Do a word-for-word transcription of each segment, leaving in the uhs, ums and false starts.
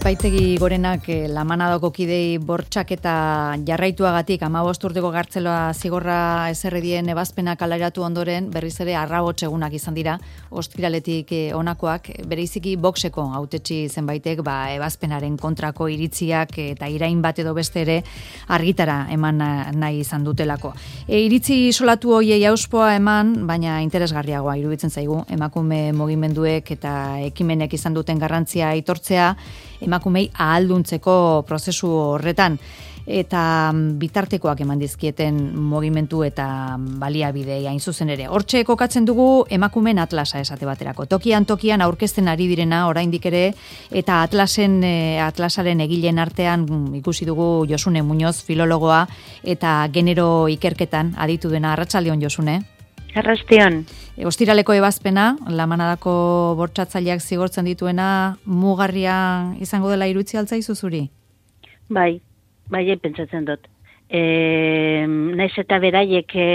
Epaitegi Gorenak eh, Lamanadoko kidei bortxaketa jarraituagatik hamabost urteko gartzeloa zigorra ezerredien ebazpenak alaratu ondoren berriz ere arrabots egunak izan dira ostiraletik eh, honakoak bereiziki Voxeko hautetsi zenbaitek ba, ebazpenaren kontrako iritziak eta irain bat edo beste ere argitara eman nahi izan dutelako. E, iritzi isolatu hoiei auspoa eman, baina interesgarriagoa iruditzen zaigu emakume mugimenduek eta ekimenek izan duten garrantzia aitortzea emakumei ahalduntzeko prozesu horretan eta bitartekoak eman dizkieten mugimendu eta baliabidei hain zuzen ere. Hortxe kokatzen dugu emakumen atlasa esate baterako. Tokian tokian aurkezten ari direna oraindik ere eta atlasen atlasaren egileen artean ikusi dugu Josune Muñoz filologoa eta genero ikerketan aditu dena. Arratsaldeon Josune. Arrastion. E, ostiraleko ebazpena, Lamanadako bortxatzaileak zigortzen dituena, mugarria izango dela irutzi altzaizu zuri? Bai, bai, pentsatzen dut. E, naiz eta beraiek e,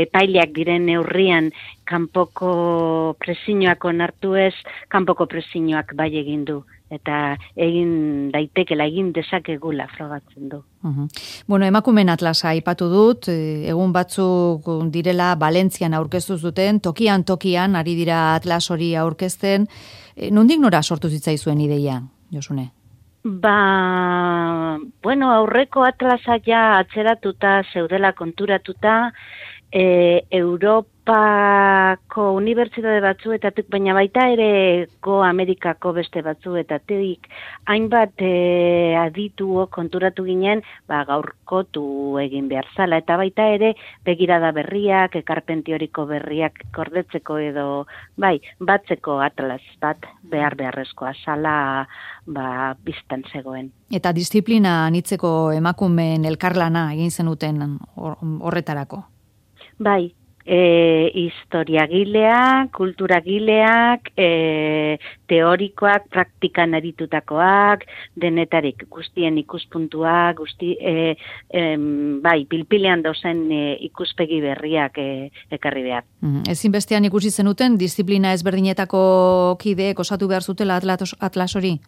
epaileak diren neurrian kanpoko presiñoak onartu ez, kanpoko presiñoak bai egin du. Eta egin daitekela, egin dezakegula frogatzen du. Uhum. Bueno, emakumen atlasa aipatu dut, egun batzuk direla Valentzian aurkeztu zuten, tokian tokian ari dira atlas hori aurkezten. Nondik nora sortu zitzaizuen ideia, Josune? Ba, bueno, aurreko atlasa ja atzeratuta, zeudela konturatuta, e, Europako unibertsitate batzuetatik, baina baita ere Go Amerikako beste batzuetatik, hainbat e, adituo konturatu ginen, ba, gaurkotu egin behar zala, eta baita ere begirada berriak, ekarpen teoriko berriak kordetzeko edo, bai, batzeko atlas bat behar beharrezkoa zala, ba, biztan zegoen. Eta disiplina anitzeko emakumeen elkarlana egin zenuten horretarako? Bai, e, historiagileak, kulturagileak, e, teorikoak, praktikan aritutakoak, denetarik guztien ikuspuntuak, guzti, e, e, bai, pilpilean dozen e, ikuspegi berriak e, ekarri behar. Mm, ezinbestean ikusi zenuten, disiplina ezberdinetako kideek osatu behar zutela atlas, atlas hori?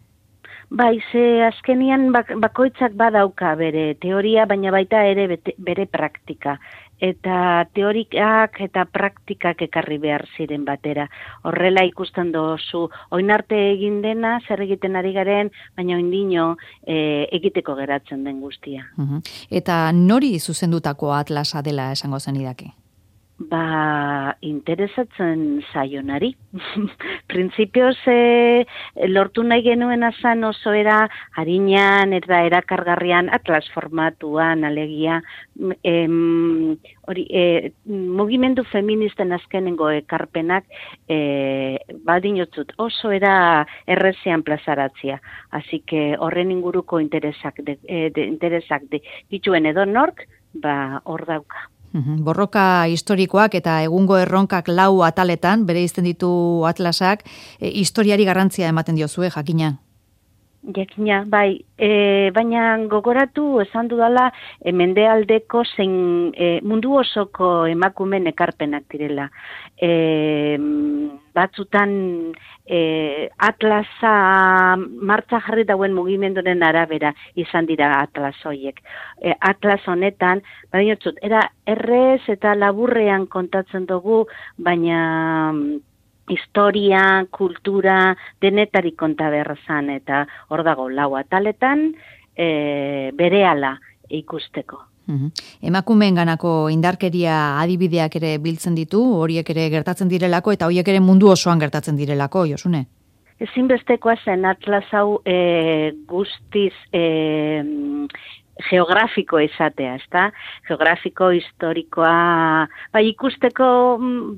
Bai, ze azkenian bak, bakoitzak badauka bere teoria, baina baita ere bete, bere praktika. Eta teorikak eta praktikak ekarri behar ziren batera. Horrela ikusten dozu, oinarte egin dena, zer egiten ari garen, baina oindino e, egiteko geratzen den guztia. Uhum. Eta nori zuzendutako atlasa dela esango zenidake? Ba, interesatzen zaionari. Printzipioz e, lortu nahi genuen azan oso era harinan eta erakargarrian atlas formatuan alegia em, hori, e, mugimendu feministen azkenengo ekarpenak e, badinotzut oso era errezean plazaratzia. Así que horren inguruko interesak de, e, de, interesak de, dituen edo nork, ba, hor dauka. Borroka historikoak eta egungo erronkak lau ataletan, bere izten ditu atlasak, e, historiari garrantzia ematen diozue, jakina? Jakina, bai, e, baina gogoratu esan dudala e, mendealdeko zein e, mundu osoko emakumen ekarpenak direla. E, batzutan e, atlasa martza jarri dauen mugimenduren arabera izan dira atlas horiek. E, atlas honetan, badinotzut, era errez eta laburrean kontatzen dugu, baina historia, kultura, denetarik konta beharrazan, eta hor dago lau ataletan e, berehala ikusteko. Uhum. Emakumeen ganako indarkeria adibideak ere biltzen ditu, horiek ere gertatzen direlako, eta horiek ere mundu osoan gertatzen direlako, Josune? Ezinbestekoa zen atlas hau e, guztiz e, geografiko izatea, ezta? Geografiko, historikoa, bai ikusteko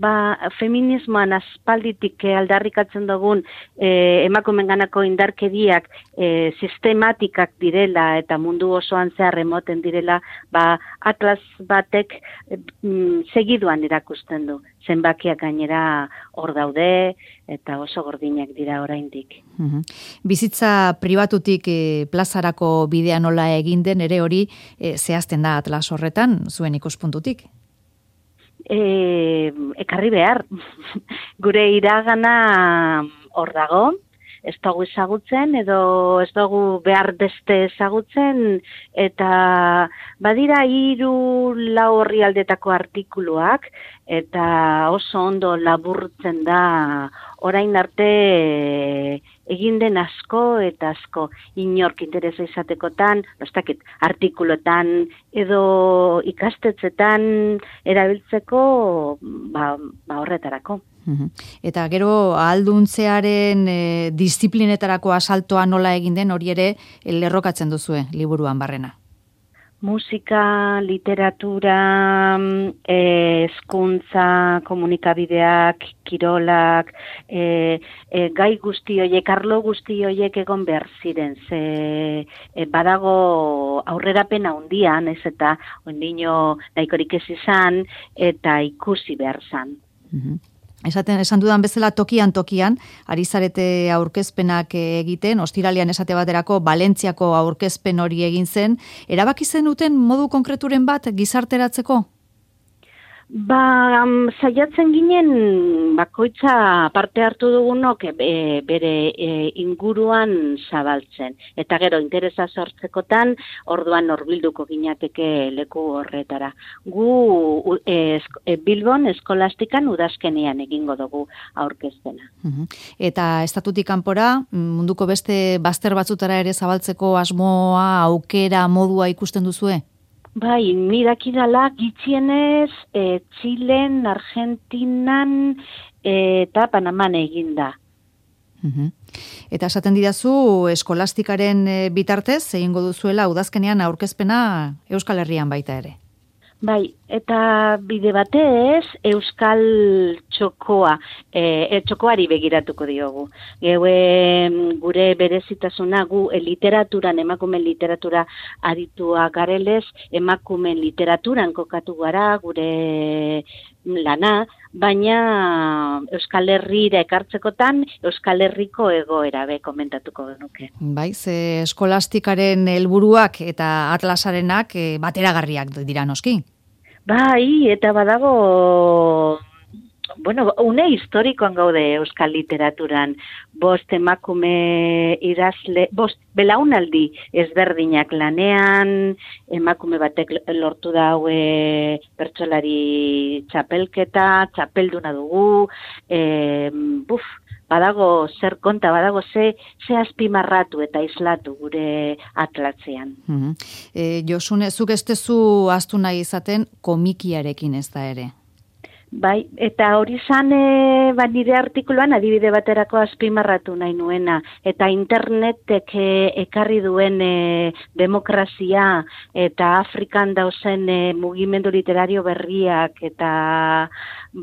ba, feminismoan aspalditik aldarrikatzen dugun e, emakumenganako indarkeriak e, sistematikak direla eta mundu osoan zehar emoten direla, ba, atlas batek e, segiduan erakusten du. Zenbakiak gainera hor daude eta oso gordinak dira oraindik. Uhum. Bizitza pribatutik e, plazarako bidea nola egin den ere hori e, zehazten da atlas horretan, zuen ikuspuntutik? E, ekarri behar. Gure iragana hor dago, ez dugu ezagutzen edo ez dugu behar beste ezagutzen, eta badira hiru lau orrialdetako artikuluak, eta oso ondo laburtzen da orain arte egin den asko eta asko inork interesa izatekotan,nostakit, artikulotan edo ikastetzetan erabiltzeko ba, ba horretarako. Eta gero ahalduntzearen e, disiplinetarako asaltoa nola egin den hori ere lerrokatzen duzue liburuan barrena. Musika, literatura, hezkuntza, komunikabideak, kirolak, e, e, gai guzti horiek, arlo guzti horiek egon behar ziren, ze e, badago aurrerapen handian, ez eta ondino nahikorik ez izan, eta ikusi behar zan. Mm-hmm. Esaten, esan dudan bezala tokian tokian, ari zarete aurkezpenak egiten, ostiralean esate baterako Valentziako aurkezpen hori egin zen, erabaki zenuten modu konkreturen bat gizarteratzeko? Ba, um, saiatzen ginen bakoitza parte hartu dugunok e, bere e, inguruan zabaltzen. Eta gero interesa sortzekotan, orduan horbilduko ginateke leku horretara. Gu e, e, Bilbon eskolastikan udazkenean egingo dugu aurkezpena. Uh-huh. Eta estatutik kanpora munduko beste bazter batzutara ere zabaltzeko asmoa, aukera, modua ikusten duzue? Bai, mirakidala gitxienez e, Txilen, Argentinan e, eta Panaman eginda. Uh-huh. Eta esaten didazu eskolastikaren bitartez egingo duzuela udazkenean aurkezpena Euskal Herrian baita ere. Bai, eta bide batez Euskal txokoa, e, txokoari begiratuko diogu. Geue gure berezitasuna gu e, literaturan, emakumen literatura aritua garelez, emakumen literaturan kokatu gara gure lana, baina Euskal Herrira ekartzekotan Euskal Herriko egoera be komentatuko genuke. Bai, ze eskolastikaren helburuak eta atlasarenak e, bateragarriak dira noski. Bai, eta badago, bueno, une historikoan gaude Euskal Literaturan, bost emakume idazle, bost belaunaldi ezberdinak lanean, emakume batek lortu daue bertsolari txapelketa, txapelduna dugu, e, buf, badago zer konta, badago ze, ze azpimarratu eta islatu gure atlatzean. Mm-hmm. E, Josune, zuk ez tezu astu nahi izaten komikiarekin ez da ere? Bai, eta hori zan e, ba, nire artikuluan adibide baterako azpimarratu nahi nuena, eta internetek e, ekarri duen e, demokrazia eta Afrikan dauzen e, mugimendu literario berriak, eta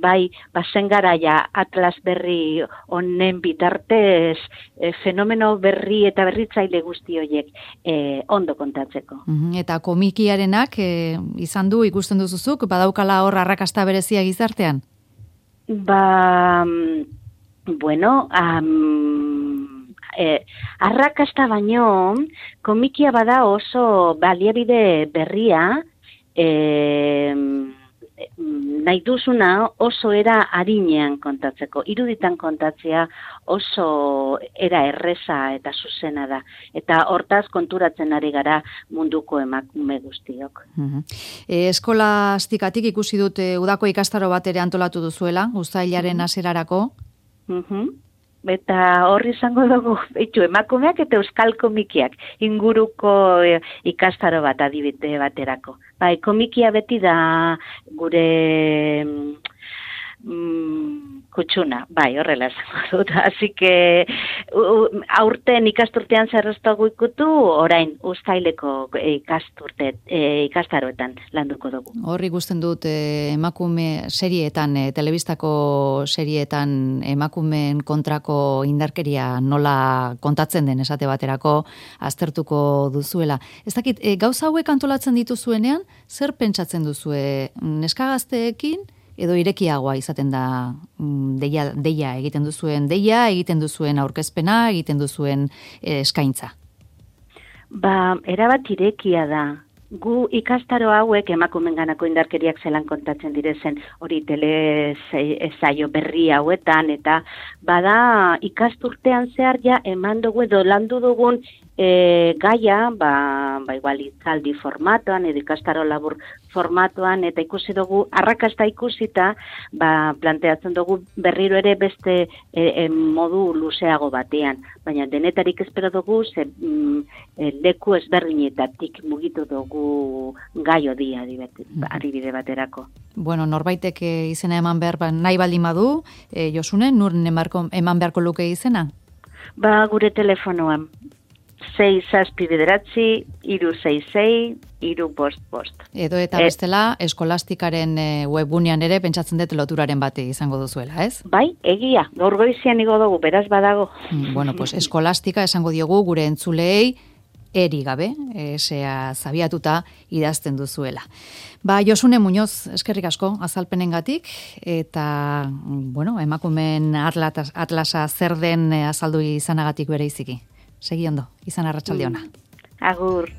bai, bazen garaia atlas berri honen bitartez e, fenomeno berri eta berritzaile guzti horiek e, ondo kontatzeko. Mm-hmm. Eta komikiarenak e, izan du ikusten duzuzuk, badaukala hor arrakasta berezia gizarte? Ba, bueno, um, eh, arrakasta baino, komikia bada oso baliabide berria, eh, nahi duzuna oso era arinean kontatzeko. Iruditan kontatzea oso era erreza eta zuzena da. Eta hortaz konturatzen ari gara munduko emakume guztiok. Uh-huh. E, eskolastikatik ikusi dut e, udako ikastaro bat ere antolatu duzuela, uztailaren hasierarako. Uh-huh. Eta horri izango dugu, etxu, emakumeak eta euskal komikiak inguruko e, ikastaro bat adibide baterako. Bai, komikia beti da gure mm, kutsuna, bai, horrela esango dut. Así que aurten ikasturtean zerreztago ikutu, orain uztaileko ikasturte, e, ikastaroetan landuko dugu. Horri gusten dut e, emakume serietan, e, telebistako serietan emakumeen kontrako indarkeria nola kontatzen den esate baterako aztertuko duzuela. Ez dakit, e, gauza hauek antolatzen dituzuenean, zer pentsatzen duzue neskagazteekin, edo irekiagoa izaten da deia, deia egiten duzuen deia, egiten duzuen aurkezpena, egiten duzuen e, eskaintza? Ba, erabat irekia da. gu ikastaro hauek emakumenganako indarkeriak zelan kontatzen direzen hori tele saio berri hauetan, eta bada ikasturtean zehar ja eman dugu edo landu dugun e, gaia, ba, ba igual itzaldi formatuan edo ikastaro labur formatuan, eta ikusi dugu arrakasta ikusita, ba, planteatzen dugu berriro ere beste e, e, modu luzeago batean, baina denetarik espero dugu ze mm, e, leku ezberdinetatik mugitu dugu gai hodi adibide baterako. Bueno, norbaitek izena eman behar ba, nahi baldin badu, e, Josune, nur eman beharko luke izena? Ba, gure telefonoan. sei zazpi bederatzi, hiru sei sei, hiru bost bost. Edo eta bestela, eskolastikaren webgunean ere pentsatzen dut loturaren bate izango duzuela, ez? Bai, egia, gaur goizian igo dugu, beraz badago. Bueno, pues eskolastika esango diogu gure entzuleei, eri gabe, esea zabiatuta idazten duzuela. Ba, Josune Muñoz, eskerrik asko azalpenengatik, eta, bueno, emakumeen atlasa zer den azaldu izanagatik bere iziki. Segi ondo, izan arratsalde ona. Agur.